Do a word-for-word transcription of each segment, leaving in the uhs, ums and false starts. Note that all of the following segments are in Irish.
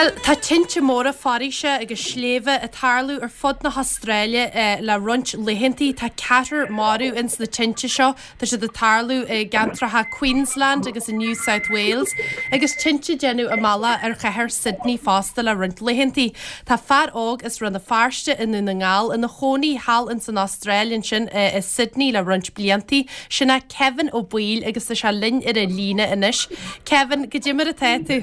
Bhuel, tá tinte móra foraoise agus sléibhe ag tarlú ar fud na hAstráile le roinnt laethantaí. Tá ceathrar marbh ins na tinte seo. Tá siad ag tarlú i gceantracha Queensland agus i New South Wales agus tinte ag déanamh a mbealach ar chathair Sydney fosta le roinnt laethantaí. Tá fear óg as Rann na Feirste i nDún na nGall ina chónaí thall ins an Astráil ansin i Sydney le roinnt bliantaí. Sin é Kevin Ó Baoill agus tá sé linn ar an líne anois. Kevin, goidé mar atá tú?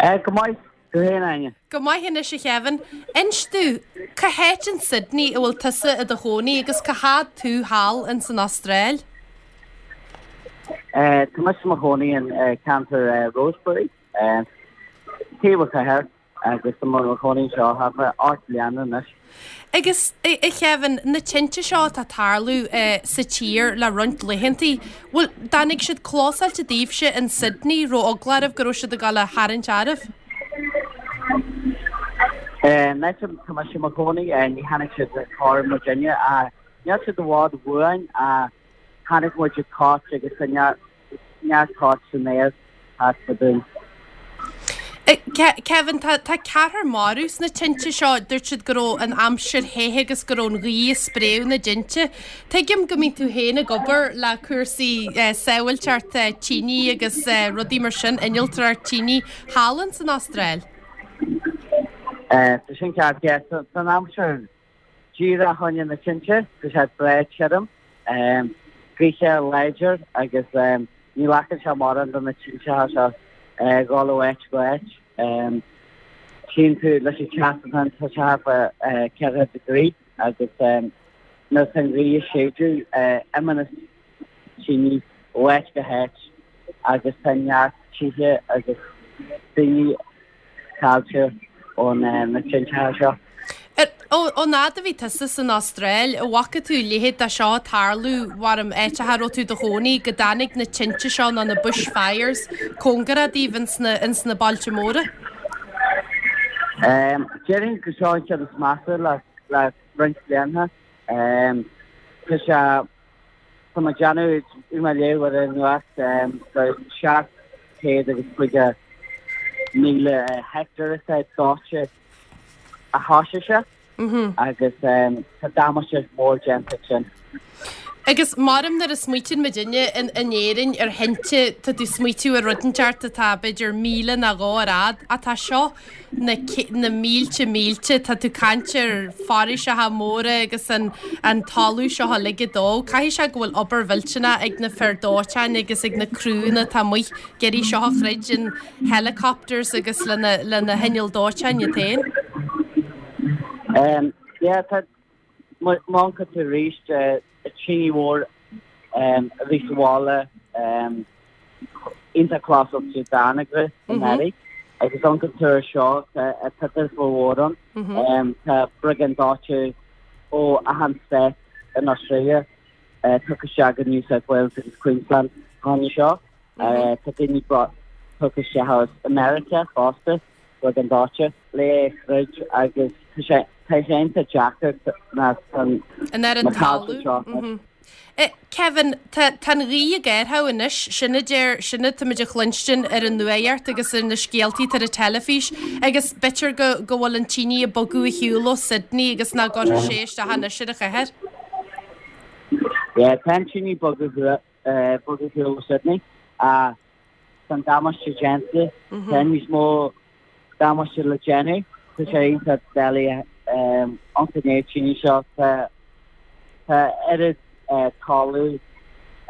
Eh, go maith tú féin Áine. Go maith anois a Kevin. Inis domh, cá háit in Sydney a bhfuil tusa i do chónaí agus cá fhad tú thall ins an Astráil? Eh, tá mise i mo chónaí in eh, ceantar eh, Rosebery, eh, taobh an chathair agus tá mé i mo chónaí anseo thart fá ocht mbliana anois. Agus a Kevin, na tinte seo atá ag tarlú sa tír le roinnt laethantaí, bhfuil, dtáinig siad clósáilte daoibhse in Sydney, raibh eagla oraibh go raibh siad ag dul a tharraingt oraibh? An áit a tá mise i mo chónaí, ní tháinig siad char muidinne, níl siad i bhfad uainn, chonaic muid toit agus tá neart toit san aer thart fá dúinn. Kevin, tá tá ceathrar marbh sna tinte seo, dúirt siad go raibh an aimsir the agus go raibh an ghaoth ag spréadh na dtinte. Tuigim go mbíonn tú féin ag obair le cúrsaí sábháilteacht tine agus rudaí mar sin, innealtóireacht tine thall ins an Astráil. Tá sin ceart, yeah. Tá an aimsir díreach choinne na tinte, tá sé breá tirim, gaoithe láidir agus ní ghlacann sé mórán do na tinte seo dhul ó áit go áit. Tchíonn tú leis an teas atá ann, tá sé thart fá ceithre degree agus nuair atá an ghaoth ag séideadh imíonn na tine ó áit go háit agus tá neart tithe agus daoine caillte ó na tinte seo. Ón fhad a bhí tusa san Astráil, an bhfaca tú a leithéid de seo ag tarlú, mharam áiteacha a raibh tú i do chónaí, go dtáinig na tinte seo nó na bush fires cóngarach daoibh ins na, ins na bailte móra? Déarfainn gur seo an ceann is measa le, le roinnt blianta. Tá sé, tá mé ag déanamh, bhí mé ag léamh ar an nuacht gur seacht céad agus caoga míle heicteár atá dóite a thoisigh sé agus tá damáiste mór déanta sin. Agus maram nuair a smaoitíonn muidinne in in Éirinn ar thinte, tá tú ag smaoitiú ar rud inteacht atá b'fhéidir míle nó dhó ar fhad, ach tá seo na na mílte mílte, tá tú ag caint ar foraoiseacha móra agus an an talamh seo uilig ag dó. Caithfidh sé go bhfuil obair mhillteanach ag na fir dóiteáin agus ag na criúnna atá amuigh ag iarraidh seo a throid in helicopters agus lena lena hinnill dóiteáin iad féin. Um, yeah, tá má amharcann tú arís tine mhór um, a bhí sa bhaile um, iontach close to Danagre in Eddie. Agus amharcann tú air seo tá tá mhór ann um, tá briogáid dóiteáin ó achan state in Australia uh, tugtha isteach go New South Wales agus Queensland tháinig seo. Uh, tá daoine tugtha isteach as America fosta briogáid dóiteáin le throid agus tá sé tá sé iontach deacair na An ar an na talamh. seo. Eh, Kevin, tá tá an ghaoth ag athrú anois, sin a deir sin atá muid a chluinstin ar an nuacht agus ar na scéaltaí ar an teilifís agus b'fhéidir go go bhfuil an tine ag bogadh ar shiúl ó Sydney agus ná gcuirfidh sé isteach anois ar an chathair. Yeah, tá an tine ag bogadh uh, bogadh ó Sydney. Uh, tá damáiste déanta, tá níos mó damáiste le déanamh, tá sé iontach doiligh um, an tine seo tá tá oiread uh, talamh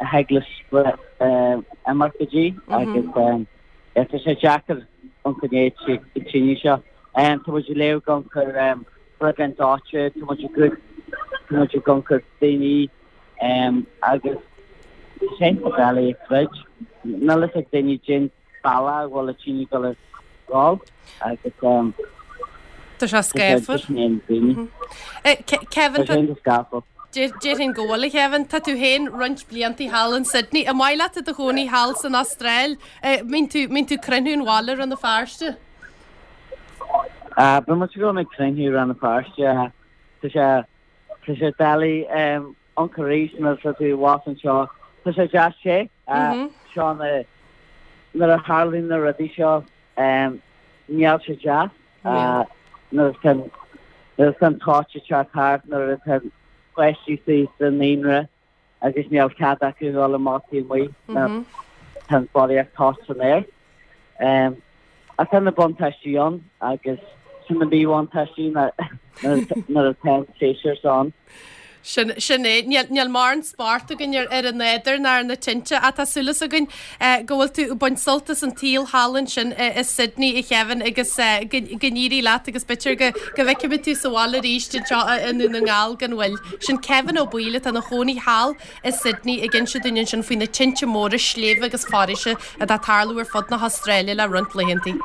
a thig le imeacht go dtí agus um, tá sé deacair an tine seo. Um, tá muid ag léamh gan chur um, briogáid dóiteáin, tá muid go tá muid gan chur daoine um, agus sé doiligh a throid. Níl a fhios ag daoine cén bealach bhfuil an tine go le gáil agus um, Tá sé scáfar. daoine. Eh, Ke- Kevin, Tá sé scáfar. Déarfainn go bhfuil a Kevin, tá tú féin roinnt blianta thall in Sydney. An maith leat i do chónaí thall san Astráil, Eh, mbíonn tú mbíonn tú cruinniú an bhaile Rann na Feirste? Uh, Ba mu go ag cruinniú Rann na Feirste Tá sé tá sé doiligh um, an choís nó tá tú abhus anseo Tá sé deas sé Mhm. seo na nuair a tharlaíonn na rudaí seo um, Níl sé deas nuair atá nuair atá an toit ag teacht thart nuair atá páistí sa naíonra agus níl cead acu dul amach taobh amuigh tá an barraíocht toit san aer. Ach tá na buntáistí ann agus sin na míbhuntáistí nuair atá an séasúr seo ann. Sin sin é. Níl níl mórán spórt againn ar ar an nádúr ná ar na tinte ach tá súil againn go bhfuil tú ag baint sult as an tsaol thall ansin i Sydney a Kevin agus go go n-éirí leat agus b'fhéidir go go bhfeicfimid tú sa bhaile arís anseo i nDún na nGall gan mhoill. Sin Kevin Ó Baoill atá ina chónaí thall i Sydney ag inse dúinn ansin faoi na tinte móra sléibhe agus foraoise atá ag tarlú ar fud na hAstráile le roinnt laethanta.